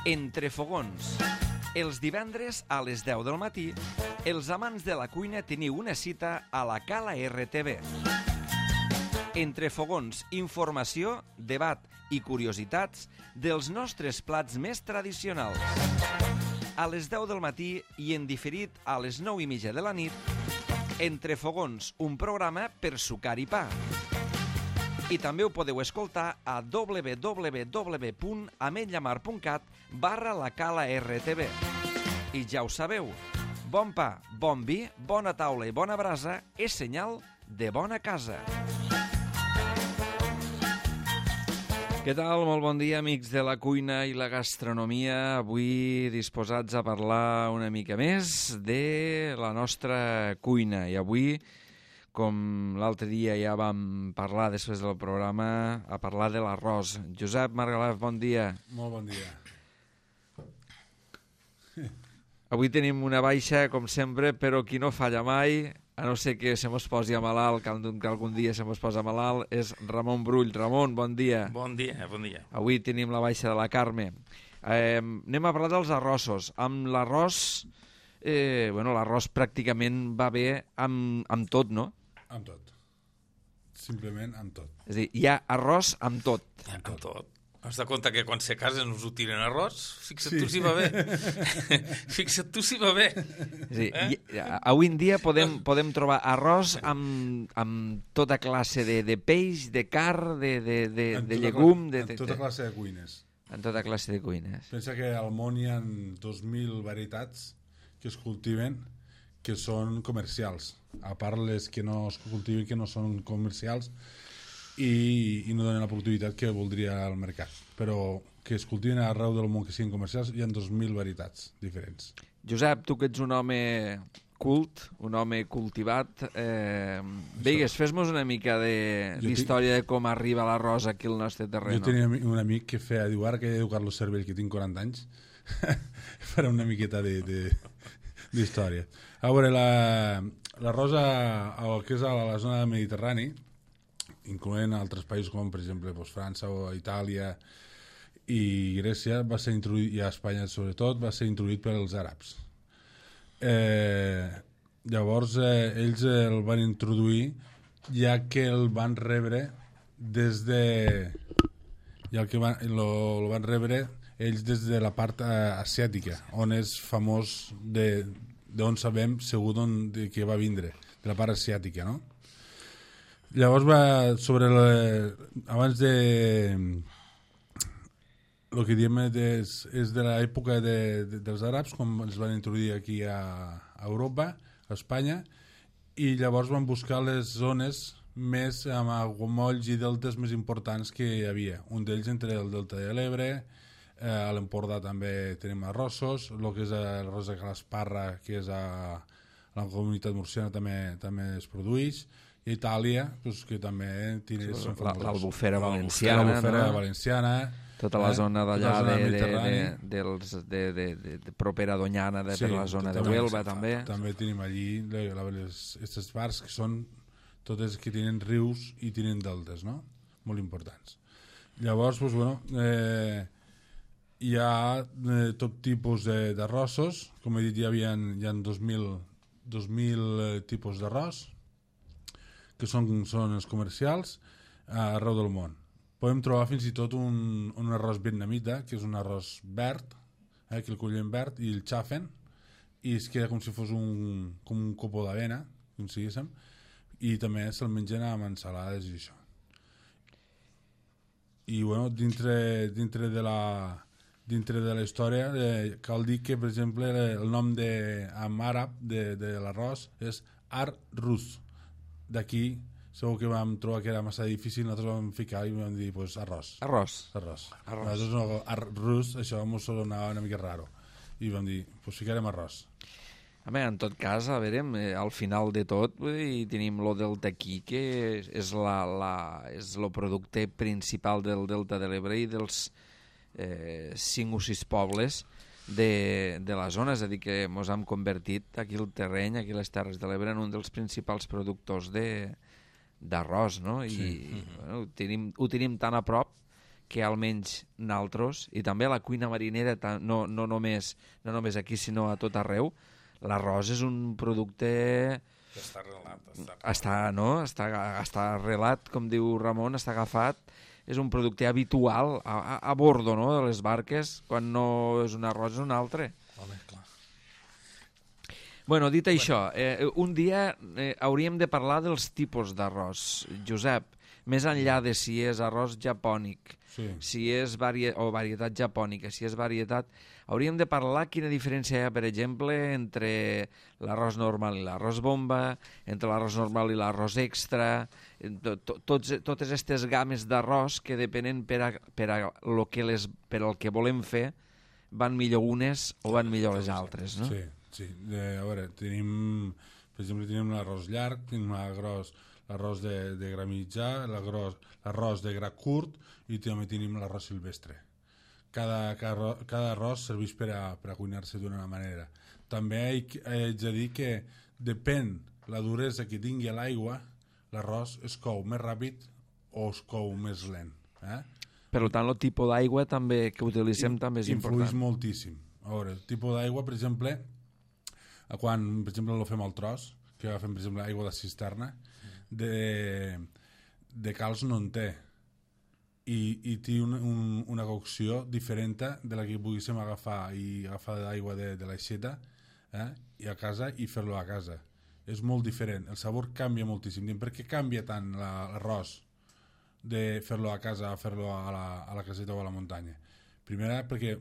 Entre fogons. Els divendres a les 10 del matí, els amants de la cuina teniu una cita a la Cala RTV. Entre fogons, informació, debat i curiositats dels nostres plats més tradicionals. A les 10 del matí i en diferit a les 9:30 de la nit, Entre fogons, un programa per sucar i pa. I també ho podeu escoltar a www.ametlllamar.cat/la Cala RTV. I ja ho sabeu, bon pa, bon vi, bona taula i bona brasa és senyal de bona casa. Què tal? Molt bon dia, amics de la cuina i la gastronomia. Avui disposats a parlar una mica més de la nostra cuina. I avui, com l'altre dia ja vam parlar després del programa, a parlar de l'arròs. Josep Margalef, bon dia. Molt bon dia. Avui tenim una baixa, com sempre, però qui no falla mai, a no ser que se mos posi a malalt, que algun dia se mos posa malalt, és Ramon Brull. Ramon, bon dia. Bon dia, bon dia. Avui tenim la baixa de la Carme. Anem a parlar dels arrossos. Amb l'arròs, l'arròs pràcticament va bé amb tot, no? Amb tot. Simplement amb tot. És a dir, hi ha arròs amb tot. Amb tot. Has de compte que quan se casen us ho tiren arròs? Fixa't tu si va bé. Fixa't tu si va bé. És a dir, avui en dia podem trobar arròs amb tota classe de peix, de carn, de llegum... En tota classe de cuines. En tota classe de cuines. Pensa que al món hi ha 2.000 varietats que es cultiven que són comercials. A part les que no es cultiven, que no són comercials, i no donen la productivitat que voldria el mercat, però que es cultiven arreu del món que siguin comercials, hi ha 2.000 varietats diferents. Josep, tu que ets un home cult, un home cultivat, veigues, fes-nos una mica d'història de com arriba l'arròs aquí al nostre terreny. Jo tenia un amic que diu, ara que he d'educar Carlos Cervell, que tinc 40 anys, farà una miqueta d'història. A veure, l'arròs que és a la zona del Mediterrani, incloent altres països com, per exemple, França o Itàlia i Grècia, va ser introduït, i a Espanya sobretot, va ser introduït pels àrabs. Llavors, ells el van introduir ja que el van rebre des de... el van rebre ells des de la part asiàtica, on és famós d'on sabem segur que va vindre, de la part asiàtica, no? Llavors abans de el que diem és de l'època dels àrabs, quan els van introduir aquí a Europa, a Espanya, i llavors van buscar les zones més amb aiguamolls i deltes més importants que hi havia. Un d'ells entre el delta de l'Ebre, a l'Empordà també tenim arrossos, el que és l'arròs de Calasparra, que és a la comunitat murciana, també es produeix, i Itàlia, que també l'Albufera valenciana, tota la zona d'allà de propera a Doñana, per la zona de Huelva també. També tenim allí aquestes parts que són totes que tenen rius i tenen deltes, no? Molt importants. Llavors, hi ha tot tipus d'arrossos. Com he dit, hi ha 2.000 tipus d'arròs, que són els comercials arreu del món. Podem trobar fins i tot un arròs vietnamita, que és un arròs verd, que el cullen verd i el xafen, i es queda com si fos com un copo d'avena, com si diguéssim, i també se'l mengen amb ensalades i això. I dintre de la història cal dir que, per exemple, el nom en àrab de l'arròs és ar-rus. D'aquí segur que vam trobar que era massa difícil, nosaltres vam ficar i vam dir arròs. Nosaltres no, arròs, això ens sonava una mica raro, i vam dir, ficarem arròs. En tot cas, a veure, al final de tot tenim lo delta aquí, que és el producte principal del delta de l'Ebre i dels 5 o 6 pobles de la zona, és a dir, que ens hem convertit aquí el terreny, aquí les Terres de l'Ebre, en un dels principals productors d'arròs, no? I ho tenim tan a prop que almenys naltros, i també a la cuina marinera, no només aquí, sinó a tot arreu, l'arròs és un producte... Està arrelat. Està arrelat, com diu Ramon, està agafat. És un producte habitual a bordo, no?, de les barques. Quan no és un arròs és un altre. Home, clar. Bueno, dit això, un dia hauríem de parlar dels tipus d'arròs, Josep, més enllà de si és arròs japònic, si és varietat japònica, si és varietat... Hauríem de parlar quina diferència hi ha, per exemple, entre l'arròs normal i l'arròs bomba, entre l'arròs normal i l'arròs extra, totes aquestes games d'arròs que depenen per al que volem fer, van millor unes o van millor les altres, no? Sí. A veure, per exemple, tenim l'arròs llarg, tenim l'arròs de gra mitjà, l'arròs de gra curt i també tenim l'arròs silvestre. Cada arròs serveix per a cuinar-se d'una manera. També haig de dir que depèn la duresa que tingui l'aigua, l'arròs es cou més ràpid o es cou més lent. Per tant, el tipus d'aigua que utilitzem també és important. Influeix moltíssim. A veure, el tipus d'aigua, per exemple, quan per exemple lo fem al tros, que agafem per exemple aigua de cisterna, de calç no en té, i té una cocció diferent de la que poguéssim agafar d'aigua de l'aixeta i a casa i fer-lo a casa. És molt diferent, el sabor canvia moltíssim. Per què canvia tant l'arròs de fer-lo a casa a fer-lo a la caseta o a la muntanya? Primera, perquè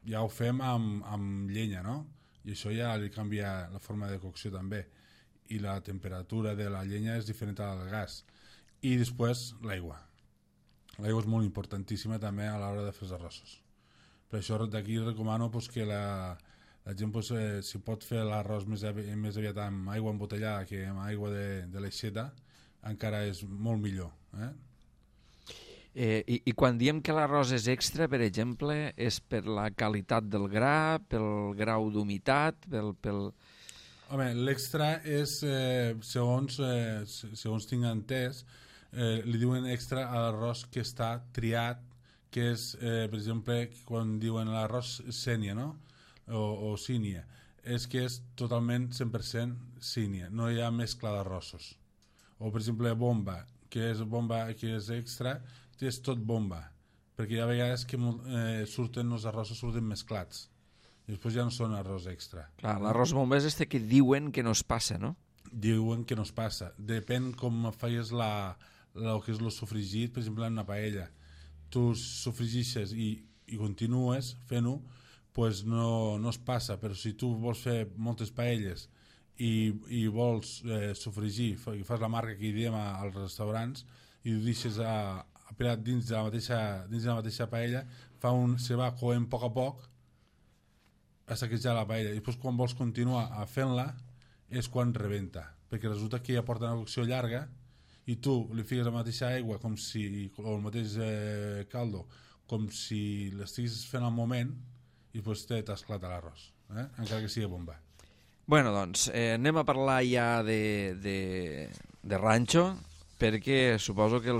ja ho fem amb llenya, no? I això ja li canvia la forma de cocció també, i la temperatura de la llenya és diferent al gas. I després l'aigua. L'aigua és molt importantíssima també a l'hora de fer els arrossos. Per això d'aquí recomano que la gent si pot fer l'arròs més aviat amb aigua embotellada que amb aigua de l'aixeta, encara és molt millor. I quan diem que l'arròs és extra, per exemple, és per la qualitat del gra, pel grau d'humitat, pel... Home, l'extra és, segons tinc entès, li diuen extra a l'arròs que està triat, que és, per exemple, quan diuen l'arròs sénia, no? O sínia, és que és totalment 100% sínia, no hi ha mescla d'arrossos. O, per exemple, bomba, que és extra, és tot bomba, perquè hi ha vegades que els arrossos surten mesclats, i després ja no són arròs extra. Clar, l'arròs bomba és que diuen que no es passa, no? Diuen que no es passa. Depèn com feies el que és el sofregit, per exemple, en una paella. Tu sofregixes i continues fent-ho, doncs no es passa. Però si tu vols fer moltes paelles i vols sofregir, i fas la marca que hi diem als restaurants, i ho deixes apilat dins de la mateixa paella, se va coent a poc a saquejar la paella. I després quan vols continuar fent-la és quan rebenta, perquè resulta que ja porta una cocció llarga i tu li fiques la mateixa aigua o el mateix caldo com si l'estiguis fent al moment i després t'esclata l'arròs, encara que sigui bomba. Bueno, doncs, anem a parlar ja de ranxo, perquè suposo que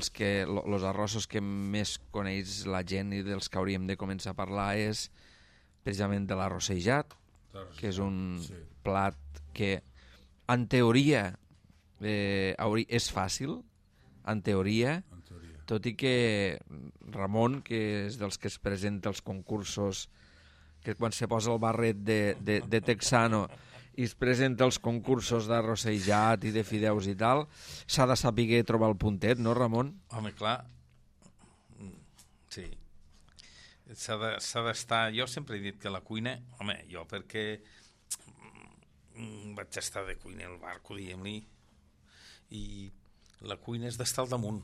els arrossos que més coneix la gent i dels que hauríem de començar a parlar és precisament de l'arrossejat, que és un plat que en teoria és fàcil, en teoria, tot i que Ramon, que és dels que es presenta als concursos, que quan se posa el barret de texano i es presenta als concursos d'arrossejat i de fideus i tal, s'ha de saber trobar el puntet, no, Ramon? Home, clar, sí. S'ha d'estar... Jo sempre he dit que la cuina... Home, jo perquè vaig estar de cuina al barco, diguem-li, i la cuina és d'estar al damunt.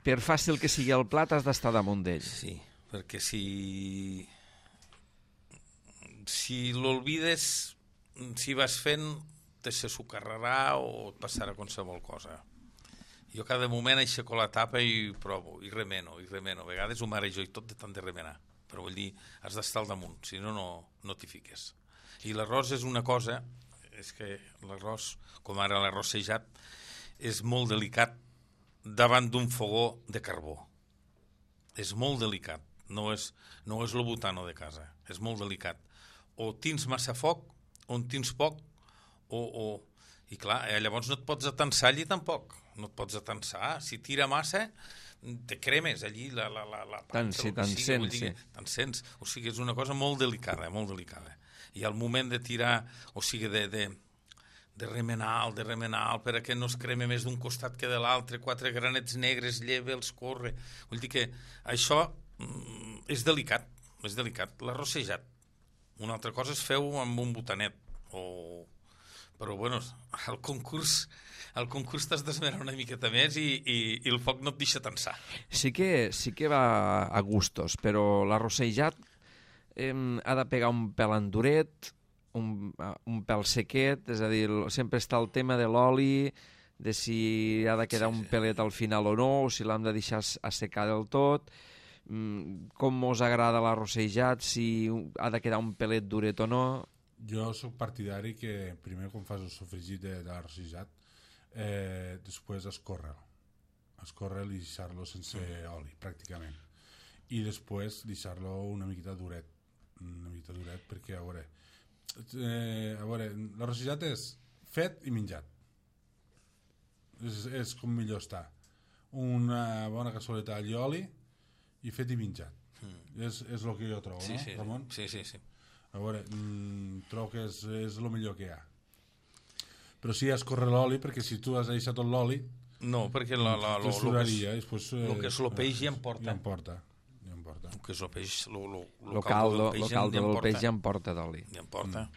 Per fàcil que sigui el plat, has d'estar damunt d'ell. Sí, perquè si l'olvides, si vas fent, te se socarrarà o et passarà qualsevol cosa. Jo cada moment aixeco la tapa i provo, i remeno. A vegades ho marejo i tot de tant de remenar. Però vull dir, has d'estar al damunt, si no, no t'hi fiques. I l'arròs és una cosa, és que l'arròs, com ara l'arrossejat, és molt delicat davant d'un fogó de carbó. és molt delicat. No és el butano de casa. És molt delicat. O tens massa foc, o en tens poc, I clar, llavors no et pots atensar allí tampoc. No et pots atensar. Si tira massa, te cremes allí la Te'n sents. O sigui, és una cosa molt delicada, molt delicada. I al moment de tirar, o sigui, de remenar perquè no es creme més d'un costat que de l'altre, 4 granets negres, lleve'ls, corre. Vull dir que això és delicat, l'arrossejat. Una altra cosa és feu amb un botanet, però bueno, al concurs t'has d'esmerar una miqueta més i el foc no et deixa tensar. Sí que va a gustos, però l'arrossejat ha de pegar un pèl enduret, un pèl sequet, és a dir, sempre està el tema de l'oli, de si ha de quedar un pelet al final o no, o si l'hem de deixar assecar del tot, com us agrada l'arrossejat, si ha de quedar un pelet duret o no. Jo sóc partidari que primer quan fas el sofregit de l'arrossejat, després escórrer-lo i deixar-lo sense oli, pràcticament. I després deixar-lo una miqueta duret, perquè a veure, l'arrossejat és fet i menjat. És com millor està. Una bona cassoleta d'all i oli i fet i menjat. És el que jo trobo, sí, no, Ramon? Sí. A veure, trobo que és el millor que hi ha. Però sí, escorre l'oli, perquè si tu has deixat tot l'oli... No, perquè el que és el peix ja em porta. El que és el peix, el caldo del peix ja em porta d'oli. Ja em porta.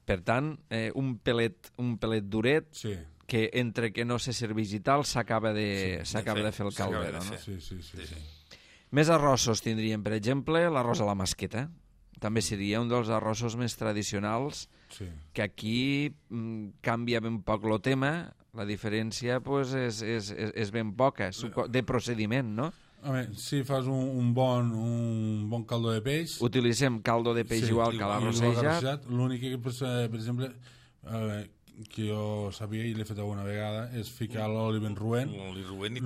Per tant, un pelet duret, sí, que entre que no se serveix i tal, s'acaba de fer el caldero, no? Sí. Més arrossos tindríem, per exemple, l'arròs a la masqueta. També seria un dels arrossos més tradicionals, sí, que aquí canvia ben poc el tema, la diferència pues, és ben poca, de procediment, no? Home, si fas un bon caldo de peix... Utilitzem caldo de peix igual que l'arrossejat. L'únic que, per exemple, que jo sabia i l'he fet alguna vegada, és ficar l'oli ben roent. L'oli roent,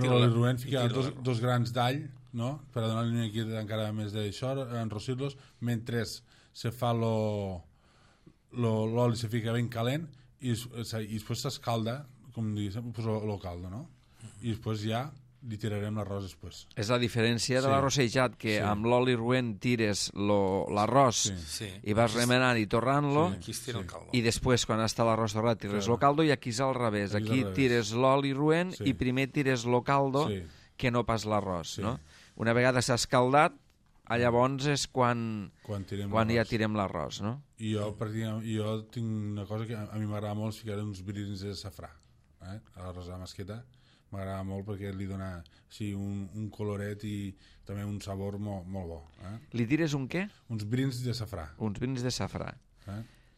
ficar dos grans d'all, no? Per a donar-li una miqueta encara més d'això, enrossir-los, mentre se fa l'oli se fica ben calent i després s'escalda, com diguéssim, el caldo, no? I després ja li tirarem l'arròs després. És la diferència de l'arrossejat, que amb l'oli roent tires l'arròs i vas remenant i torrant-lo, i després, quan està l'arròs torrat, tires el caldo, i aquí és al revés. Aquí tires l'oli roent i primer tires el caldo que no pas l'arròs, no? Una vegada s'ha escaldat, llavors és quan ja tirem l'arròs, no? I jo tinc una cosa que a mi m'agrada molt, ficar uns brins de safrà a l'arròs a la masqueta. M'agrada molt perquè li dona un coloret i també un sabor molt bo. Li tires un què? Uns brins de safrà. Uns brins de safrà.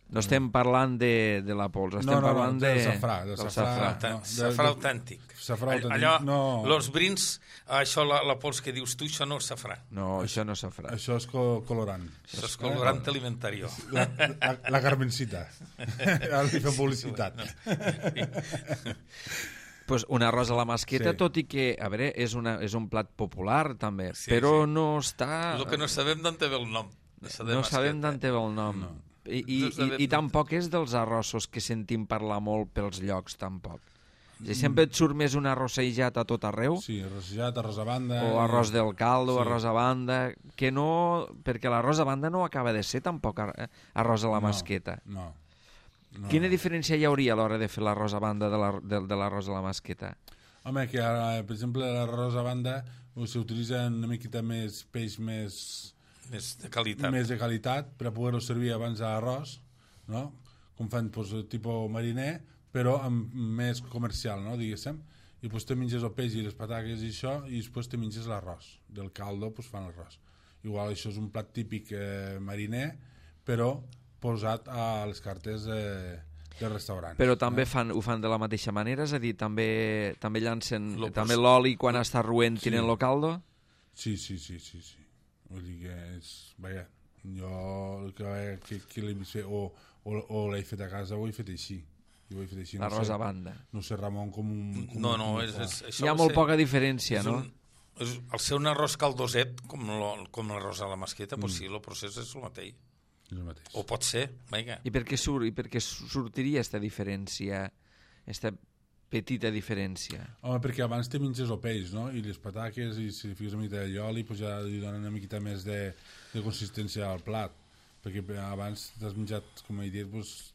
No estem parlant de la pols, estem parlant del safrà. Safrà autèntic. Allò, els brins, això, la pols que dius tu, això no és safrà. No, això no és safrà. Això és colorant. Això és colorant alimentari. La Carmencita. Ara li fem publicitat. Pues un arròs a la masqueta, tot i que, a veure, és un plat popular també, però no està... El que no sabem d'on té el nom. No sabem d'on té el nom. I tampoc és dels arrossos que sentim parlar molt pels llocs, tampoc. Sempre et surt més un arrossejat a tot arreu. Sí, arrossejat, arròs a banda... O arròs del caldo, arròs a banda... Que no... Perquè l'arròs a banda no acaba de ser tampoc arròs a la masqueta. No. Quina diferència hi hauria a l'hora de fer l'arròs a banda de l'arròs a la masqueta? Home, que ara, per exemple, l'arròs a banda s'utilitza una miqueta més peix més de qualitat per a poder-ho servir abans de l'arròs, no? Com fan tipus mariner, però més comercial, no? Diguéssim. I després te menges el peix i les patates i això, i després te menges l'arròs. Del caldo fan l'arròs. Igual això és un plat típic mariner, però posat a les cartes dels restaurants. Però també ho fan de la mateixa manera? És a dir, també llancen també l'oli quan està roent tiren el caldo? Sí. Vull dir que és... Vaja, jo el que l'he vist fer o l'he fet a casa o he fet així. L'arròs a banda. No sé, Ramon, com un... No, hi ha molt poca diferència, no? Al ser un arròs caldoset, com l'arròs a la masqueta, doncs sí, el procés és el mateix. És el mateix. O pot ser, vinga. I per què sortiria aquesta diferència, aquesta petita diferència? Home, perquè abans te menges el peix, no? I les pataques, i si fiques una mica d'oli, pues ja li donen una miqueta més de consistència al plat. Perquè abans t'has menjat, com he dit, pues,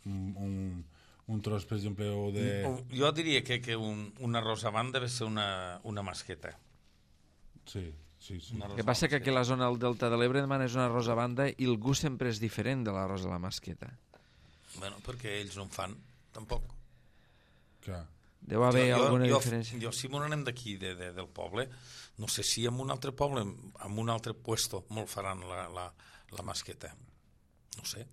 un tros, per exemple, o de... Jo diria que un arròs avant deve ser una masqueta. Sí. El que passa que aquí a la zona del Delta de l'Ebre demanes un arròs a banda i el gust sempre és diferent de l'arròs a la masqueta. Bueno, perquè ells no en fan, tampoc. Clar. Deu haver alguna diferència. Jo, si m'on anem d'aquí, del poble, no sé si en un altre poble, en un altre puesto, molt faran la masqueta. No sé.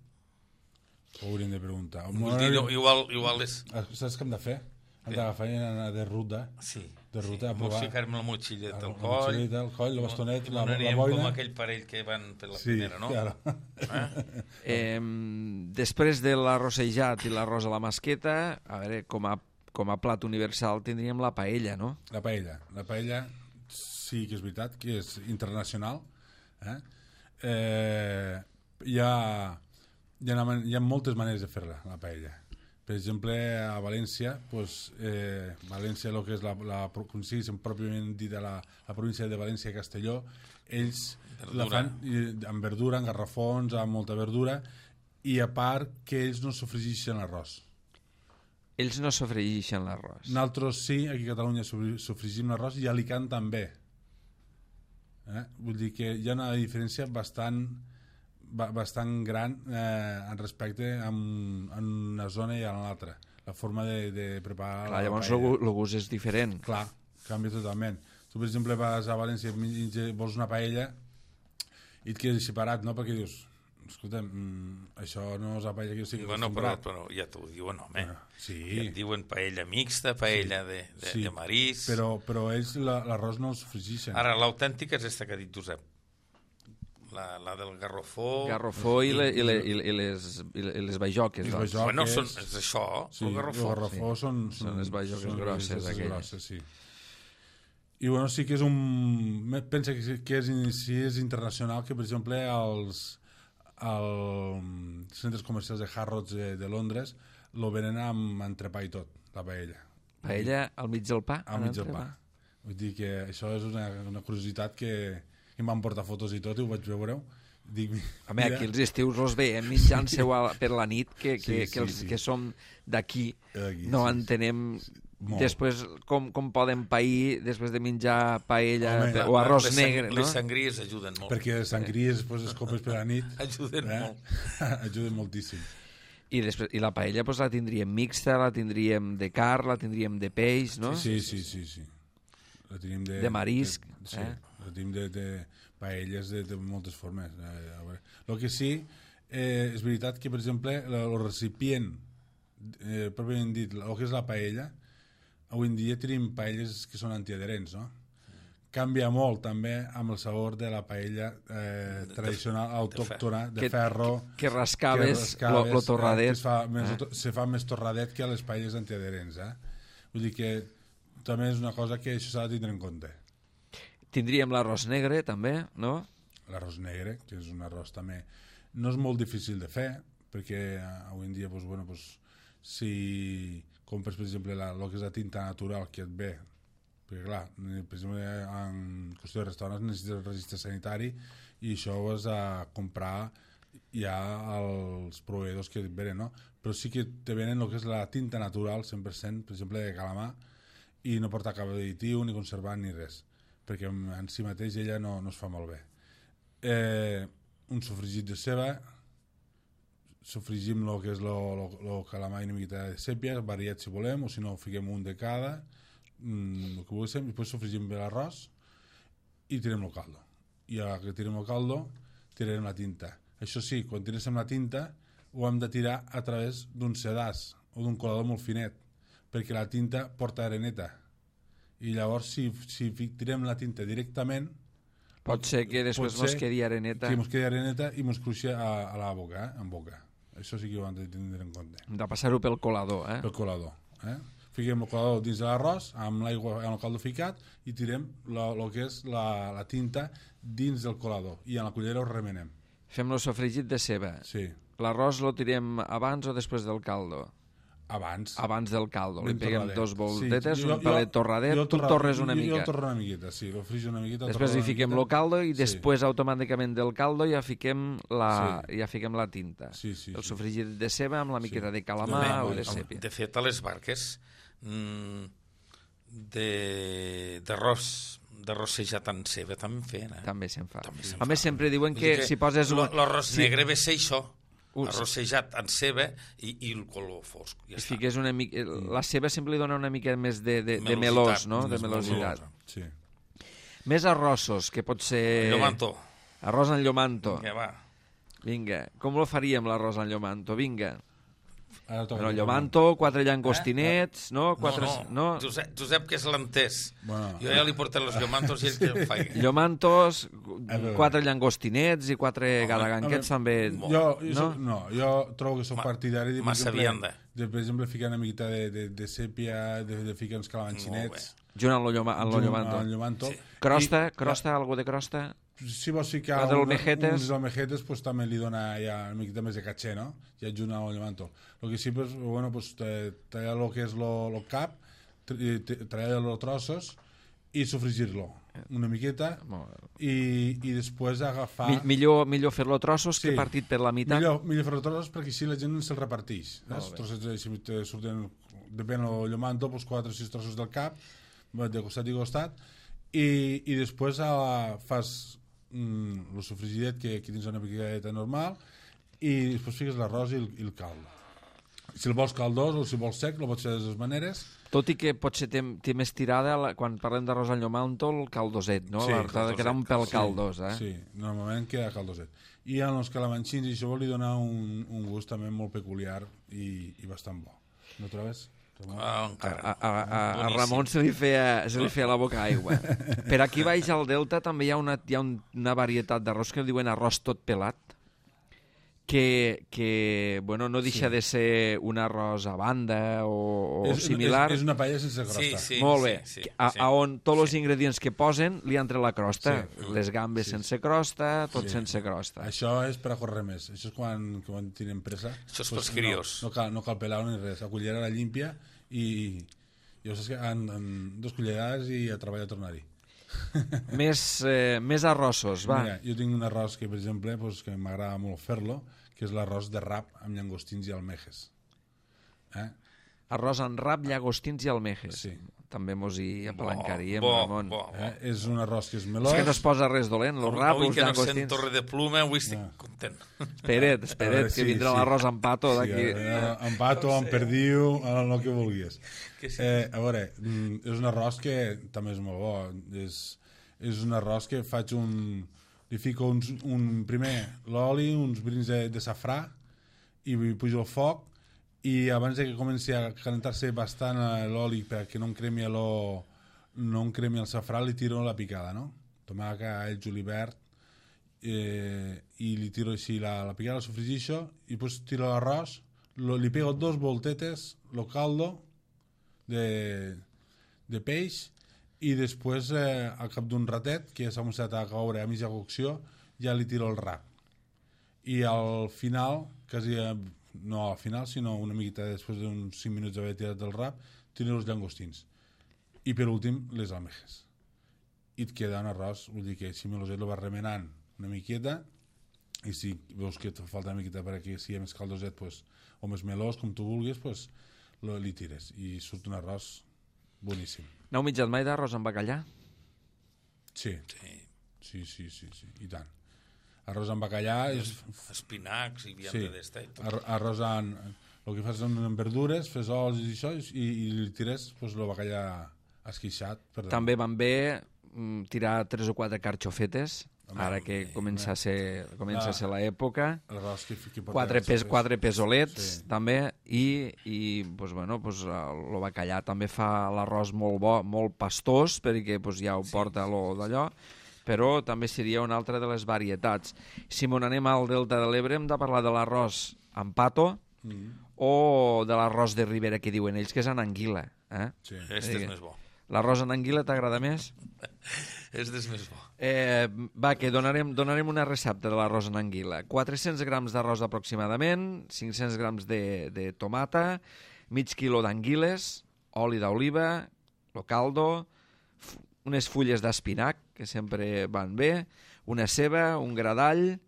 Ho hauríem de preguntar. Igual és... Saps què hem de fer? Hem d'agafar i anar de ruta. Sí. De ruta a provar. Ficar-me la motxilleta al coll. La motxilleta al coll, el bastonet, la boina. Com aquell parell que van per la primera, no? Claro. Després de l'arrossejat i l'arròs a la masqueta, a veure, com a plat universal tindríem la paella, no? La paella sí que és veritat, que és internacional. Hi ha moltes maneres de fer-la, la paella. Per exemple, a València, València, el que és pròpiament dit la província de València i Castelló, ells la fan amb verdura, amb garrafons, amb molta verdura, i a part que ells no sofregeixen l'arròs. Ells no sofregeixen l'arròs. Nosaltres sí, aquí a Catalunya sofregim l'arròs i a Alicant també. Vull dir que hi ha una diferència bastant gran en respecte a una zona i a l'altra. La forma de preparar la llavors paella. El gust és diferent. Clar, canvia totalment. Tu, per exemple, vas a València i vols una paella i et quedes separat, no? Perquè dius, escolta, això no és la paella que jo estic acostumbrat. Però ja t'ho diuen, home. Sí. Ja et diuen paella mixta, paella de marís... Però ells l'arròs no el sofregeixen. Ara, l'autèntica és aquesta que ha dit Josep. La del garrofó... Garrofó i les bajoques. Bueno, és això, el garrofó. El garrofó són les bajoques grosses, aquelles. Sí. I bueno, sí que és pensa que és internacional, que per exemple als centres comercials de Harrods de Londres lo venen amb entrepà i tot, la paella. Paella al mig del pa? Al mig del pa. Vull dir que això és una curiositat que em van portar fotos i tot i ho vaig veure. Home, aquí els estius els veiem menjant-se per la nit, que que som d'aquí no entenem després com poden pair després de menjar paella o arròs negre, no? Les sangries ajuden molt. Perquè les sangries, les copes per la nit ajuden molt. Ajuden moltíssim. I la paella la tindríem mixta, la tindríem de carn, la tindríem de peix, no? Sí. La tenim de marisc. La tenim de paelles de moltes formes. El que sí, és veritat que, per exemple, el recipient, pròpiament dit, el que és la paella, avui en dia tenim paelles que són antiadherents, no? Canvia molt també amb el sabor de la paella tradicional, autòctona, de ferro. Que rascaves lo torradet. Se fa més torradet que a les paelles antiadherents. Vull dir que també és una cosa que això s'ha de tindre en compte. Tindríem l'arròs negre també, no? L'arròs negre, que és un arròs també no és molt difícil de fer, perquè avui en dia si compres per exemple el que és la tinta natural que et ve, perquè clar, per exemple en qüestió de restaurants necessites el registre sanitari i això ho has de comprar ja als proveïdors que et venen, no? Però sí que te venen el que és la tinta natural 100%, per exemple de calamar, i no porta cap additiu ni conservant ni res, perquè en si mateix ella no es fa molt bé. Un sofregit de ceba, sofregim el que és el calamar i una miqueta de sèpia, variat si volem, o si no fiquem un de cada, el que volguéssim, i després sofregim bé l'arròs i tirem el caldo. I a que tirem el caldo tirarem la tinta. Això sí, quan tirem la tinta ho hem de tirar a través d'un sedàs o d'un colador molt finet, perquè la tinta porta areneta i llavors si tirem la tinta directament pot ser que després mos quedi areneta, que mos quedi areneta i mos cruixi a la boca, en boca. Això sí que ho hem de tindre en compte. Hem de passar-ho pel colador, pel colador, fiquem el colador dins de l'arròs, amb l'aigua, amb el caldo ficat, i tirem el que és la tinta dins del colador, i en la cullera ho remenem. Fem el sofregit de ceba. Sí. L'arròs lo tirem abans o després del caldo? Abans. Abans del caldo. Li Ben peguem torradet. dos voltetes, Sí, un pelet torradet, tu torres una mica. Jo el torro una miqueta, sí, lo frigio una miqueta. Després hi fiquem el caldo i Sí. després automàticament del caldo ja fiquem la tinta. Sí. El sofregit de ceba amb la miqueta de No, calamar o de sèpia. De fet, a les barques d'arròs rossejat en ceba també en feien. També se'n fa. També se'n A més, fa. sempre diuen Vull que dir si poses... L'arròs negre ve ser això, Sí. arrossejat en ceba i el color fosc. Ja I està. fiques una mica... La ceba sempre li dona una mica més de Melositat, melós, no? De més melositat. Sí. Més arrossos, que pot ser... Llomanto. Arròs en llomanto. Ja va. Vinga, com lo faríem l'arròs en llomanto? Vinga. Ara toca Bueno, llomanto, 4 llangostinets, no? No. Josep, que és l'entès. Bueno. Jo ja li porté els llomantos i ell que em fa. Llomantos, veure. 4 llangostinets i 4 gadaganquets també... Jo trobo que soc partidari de, massa vianda. per exemple, ficar una miqueta de sèpia, de ficar uns calamanxinets Junt amb lo llomanto. al llomanto. Sí. Crosta, algú de crosta? Si vols ficar Les almejetes. uns almejetes, pues també li dona ja una miqueta més de caché, no? Ja junt al llomanto. El que sí, pues, bueno, pues, tallar el que és el cap, tallar-lo trossos i sofregir-lo una miqueta i després agafar... Millor fer-lo trossos que Sí. partit per la meitat. Millor fer-lo trossos perquè així la gent se'l reparteix. Trossets, si te surten, depèn del llomanto, pues 4 o 6 trossos del cap, de costat i costat, i després fas el sofregidet, que aquí tens una miqueta normal, i després fiques l'arròs i el caldo. Si el vols caldós o si vols sec, el pots fer de dues maneres. Tot i que potser té més tirada, quan parlem d'arròs al llomanto, el caldoset, no? Sí, L'ha de quedar un pèl caldós, eh? Sí, normalment queda caldoset. I en els calamanxins i això li dona un gust també molt peculiar i bastant bo. No trobes? Encara. A Ramon se li feia la boca aigua. Per aquí baix al Delta també hi ha una varietat d'arròs que diuen arròs tot pelat, que bueno, no deixa de ser un arròs a banda o similar. És una paella sense crosta. Sí. Molt bé. Sí. A on tots els ingredients que posen li entre la crosta. Sí. Les gambes sense crosta, tot sense crosta. Això és per a córrer més. Això és quan tenen pressa. Això és pels crios. No cal pelar ni res. La cullera la limpia i ja saps que en 2 cullerades i a treballar a tornar-hi. Més arrossos, va. Mira, jo tinc un arròs que, per exemple, pues, que m'agrada molt fer-lo, que és l'arròs de rap amb llangostins i almejes. Arròs en rap, llagostins i almejes. Sí. També mos hi apalancaríem, Bo. Ramon. És un arròs que és melós. És que no es posa res dolent, el rap, Avui els que no sent llagostins. torre de pluma, avui estic content. Espera't, que vindrà l'arròs amb pato d'aquí. Amb pato, amb perdiu, el que vulguis. Que sí. A veure, és un arròs que també és molt bo. És un arròs que faig li fico primer l'oli, uns brins de safrà, i pujo el foc, i abans que comenci a calentar-se bastant l'oli perquè no em cremi el safrà, li tiro la picada, no? Tomàquet, all, julivert, i li tiro així la picada, la sofregixo, i després tiro l'arròs, li pego 2 voltetes, el caldo de peix, i després, al cap d'un ratet, que ja s'ha començat a caure a mitja cocció, ja li tiro el rap. I al final, quasi no al final, sinó una miqueta després d'uns 5 minuts d'haver tirat el rap, tiro els llangostins. I per últim, les almejes. I et queda un arròs, vull dir que si meloset el vas remenant una miqueta, i si veus que et falta una miqueta perquè sigui més caldoset, pues, o més melós, com tu vulguis, pues, li tires. I surt un arròs boníssim. N'heu mitjat mai d'arròs amb bacallà? Sí, i tant. Arròs amb bacallà és... Espinacs i vianda d'esta. Arròs el que fas amb verdures, fes ols i això, i li tires el bacallà esqueixat. També van bé tirar 3 o 4 carxofetes, ara que comença a ser l'època. 4 pesolets, també, i el bacallà també fa l'arròs molt bo, molt pastós, perquè ja ho porta d'allò, però també seria una altra de les varietats. Si m'on anem al Delta de l'Ebre hem de parlar de l'arròs amb pato o de l'arròs de Ribera que diuen ells, que és en anguila. Sí. Este és més bo. L'arròs en anguila t'agrada més? Este és més bo. Va, que donarem una recepta de l'arròs en anguila. 400 grams d'arròs aproximadament, 500 grams de tomata, mig quilo d'anguiles, oli d'oliva, lo caldo, unes fulles d'espinac, que sempre van bé, una ceba, un gra d'all,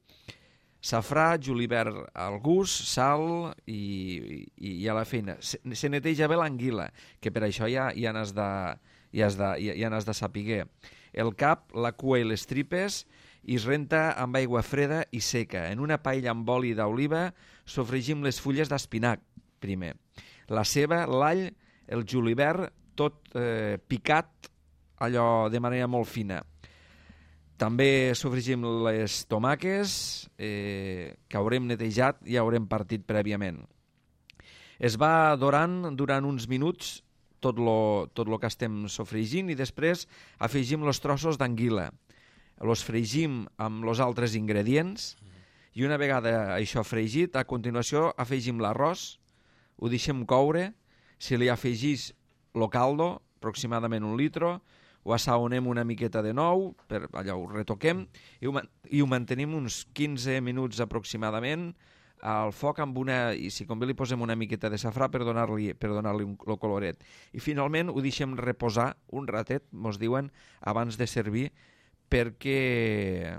safrà, julivert al gust, sal i a la feina. Se neteja bé l'anguila, que per això ja n'has de saber. El cap, la cua i les tripes i es renta amb aigua freda i seca. En una paella amb oli d'oliva sofregim les fulles d'espinac primer. La ceba, l'all, el julivert, tot picat allò de manera molt fina. També sofregim les tomaques que haurem netejat i haurem partit prèviament. Es va dorant durant uns minuts tot lo que estem sofregint i després afegim els trossos d'anguila. Els fregim amb els altres ingredients i una vegada això fregit, a continuació afegim l'arròs, ho deixem coure, si li afegís lo caldo, aproximadament 1 litre, ho assaonem una miqueta de nou, allò ho retoquem i ho mantenim uns 15 minuts aproximadament al foc amb i si convé li posem una miqueta de safrà per donar-li el coloret. I finalment ho deixem reposar un ratet, mos diuen, abans de servir, perquè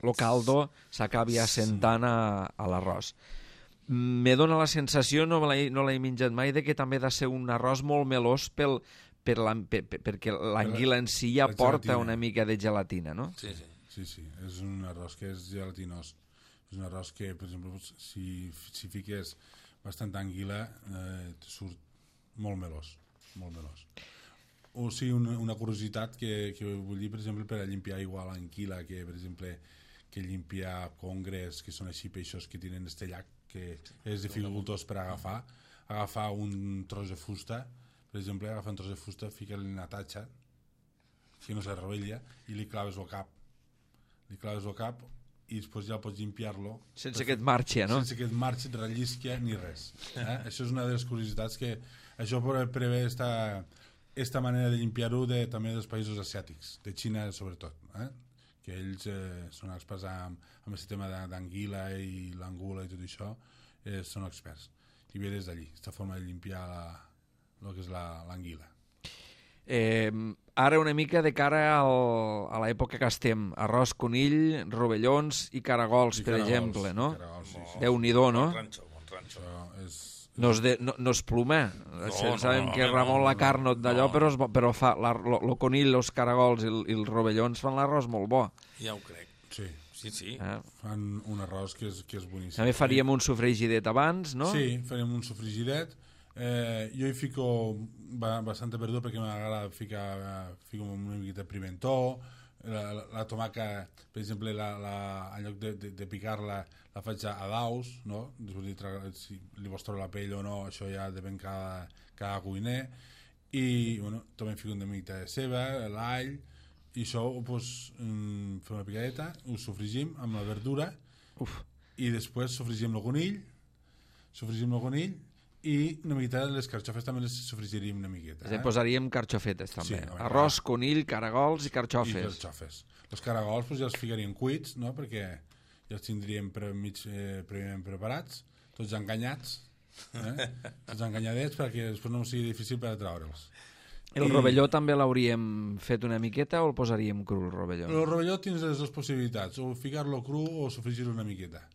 el caldo s'acabi assentant a l'arròs. Me dóna la sensació, no l'he menjat mai, de que també ha de ser un arròs molt melós perquè l'anguila en si ja porta una mica de gelatina, no? Sí, sí. Sí, és un arròs que és gelatinós. És un arròs que, per exemple, si fiques bastant anguila, surt molt melós, molt melós. O sigui, una curiositat que vull dir, per exemple, per a limpiar igual l'anguila, que, per exemple, que limpiar congres, que són així peixos que tenen este llac, que és dificultós per agafar un tros de fusta, per exemple, agafar un tros de fusta, fica-li una tatxa, que no se rovella, i li claves el cap. Li claves el cap i després ja pots limpiar-lo sense que et marxi, no? Sense que et marxi, et rellisqui ni res. Això és una de les curiositats que això prevé esta manera de limpiar-ho també dels països asiàtics, de Xina sobretot, que ells són experts amb aquest tema d'anguila i l'angula i tot això, són experts i ve des d'allí, aquesta forma de limpiar el que és l'anguila. Ara una mica de cara a l'època que estem, arròs conill, rovellons i caragols, per exemple, no? Déu-n'hi-do, no? Bon ranxo. No és ploma. Sabem que Ramon la Carnot d'allò, però fa el conill, els caragols i els rovellons fan l'arròs molt bo. Ja ho crec. Sí. Fan un arròs que és boníssim. També faríem un sofregidet abans, no? Sí, farem un sofregidet. Jo hi fico bastanta verdura perquè m'agrada fico una miqueta de pimentó, la tomaca, per exemple, en lloc de picar-la la faig a daus, no? Si li vols treure la pell o no, això ja depèn cada cuiner, i també fico una miqueta de ceba, l'all, i això fem una picadeta, ho sofregim amb la verdura i després sofregim el conill i una miqueta de les carxofes també les sofregiríem una miqueta. Posaríem carxofetes també. Sí, arròs, conill, caragols i carxofes. I carxofes. Els caragols ja els ficaríem cuits, no? Perquè ja els tindríem prèviament preparats, tots enganyats, tots enganyadets perquè després no sigui difícil per treure'ls. El rovelló també l'hauríem fet una miqueta o el posaríem cru, el rovelló? El rovelló tens les dues possibilitats, o ficar-lo cru o sofregir-lo una miqueta.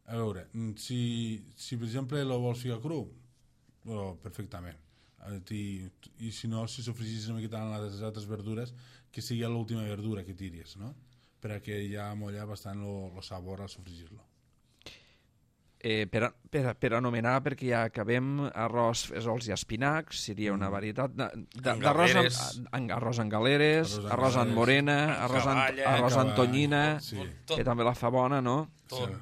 A veure, si per exemple el vols ficar cru, perfectament. I si no, si sofregis una miqueta en les altres verdures, que sigui l'última verdura que tiris, no? Perquè ja molla bastant el sabor al sofregir-lo. Per anomenar, perquè ja acabem, arròs, fesols i espinacs, seria una varietat arròs en galeres, arròs en morena, arròs en tonyina, que també la fa bona, no? Tot.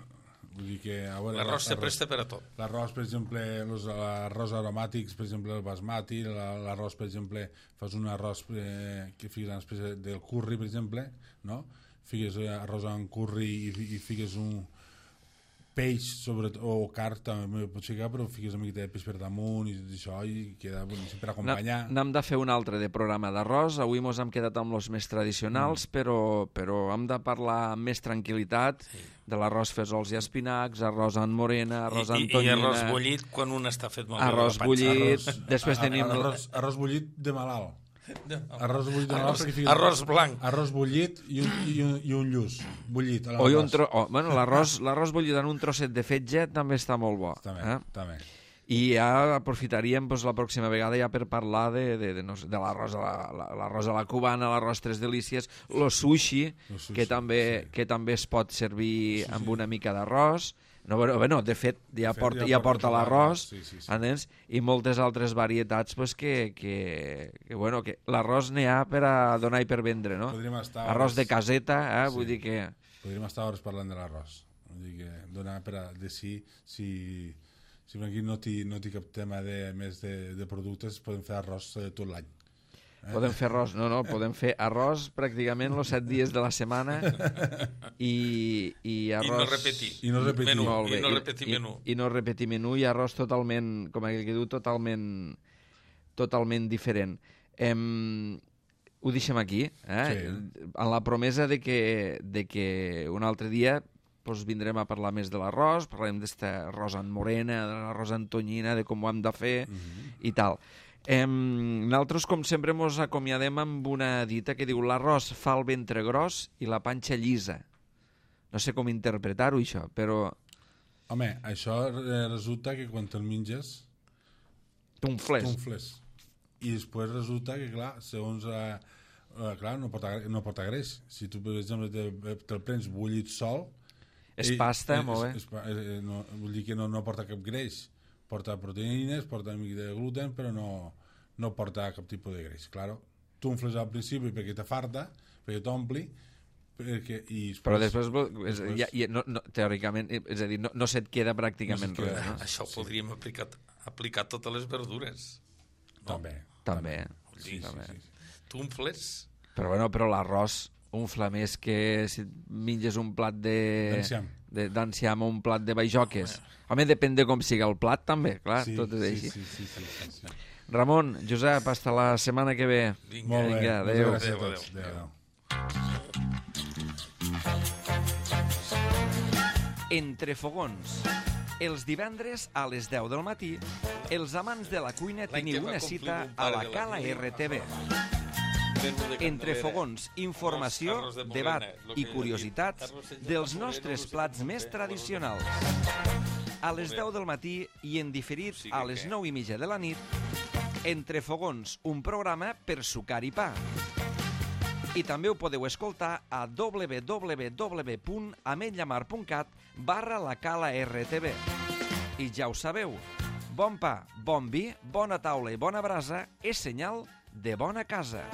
Vull dir que l'arròs se presta per a tot. L'arròs, per exemple, els arròs aromàtics, per exemple, el basmati, l'arròs, per exemple, fas un arròs que fiques en espècie del curri, per exemple, no? Fiques arròs en curri i fiques peix o carn també pot ficar, però fiques una miqueta de peix per damunt i tot això i queda boníssim per acompanyar. N'hem de fer un altre de programa d'arròs. Avui mos hem quedat amb els més tradicionals, però hem de parlar amb més tranquil·litat de l'arròs fesols i espinacs, arròs en morena, arròs en tonyina... I arròs bullit quan un està fet molt bé. Arròs bullit, després tenim... Arròs bullit de malalt. Arròs bullit de malalt. Arròs blanc. Arròs bullit i un lluç. Bullit. Bueno, l'arròs bullit en un trosset de fetge també està molt bo. També. I ja aprofitaríem la pròxima vegada ja per parlar de l'arròs a la cubana, l'arròs tres delícies, el sushi, que també es pot servir amb una mica d'arròs. No, de fet, ja porta l'arròs, i moltes altres varietats que l'arròs n'hi ha per a donar i per vendre, no? Arròs de caseta, vull dir que... Podríem estar hores parlant de l'arròs. Vull dir que donar per a decidir si aquí no té cap tema més de productes, podem fer arròs tot l'any. Podem fer arròs, podem fer arròs pràcticament els 7 dies de la setmana i arròs... I no repetir menú. I no repetir menú i arròs totalment, com aquell que diu, totalment diferent. Ho deixem aquí, en la promesa de que un altre dia vindrem a parlar més de l'arròs, parlarem d'aquest arròs en morena, de l'arròs en tonyina, de com ho hem de fer i tal. Nosaltres, com sempre, ens acomiadem amb una dita que diu l'arròs fa el ventre gros i la panxa llisa. No sé com interpretar-ho, això, però... Home, això resulta que quan te'l menges... T'unfles. I després resulta que, clar, segons... clar, no porta greix. Si tu, per exemple, te'l prens bullit sol... És pasta, molt bé. Vull dir que no porta cap greix. Porta proteïnes, porta una mica de gluten, però no porta cap tipus de greix. Claro, tu unfles al principi perquè te farta, perquè t'ompli, però després teòricament, és a dir, no se't queda pràcticament res. No? Això ho podríem aplicar a totes les verdures. També. Sí. Tu unfles? Però l'arròs unfla més que si menges un plat d'enciam o un plat de baijoques. Home, depèn de com siga el plat, també, clar, tot és així. Sí. Ramon, Josep, hasta la setmana que ve. Vinga, adéu. Adéu. Entre fogons. Els divendres a les 10 del matí, els amants de la cuina teniu una cita a la Cala RTV. Entre fogons, informació, debat i curiositats dels nostres plats més tradicionals. A les 10 del matí i en diferit a les 9:30 de la nit, Entre fogons, un programa per sucar i pa. I també ho podeu escoltar a www.ametlllamar.cat/la-cala-rtv. I ja ho sabeu, bon pa, bon vi, bona taula i bona brasa és senyal de bona casa.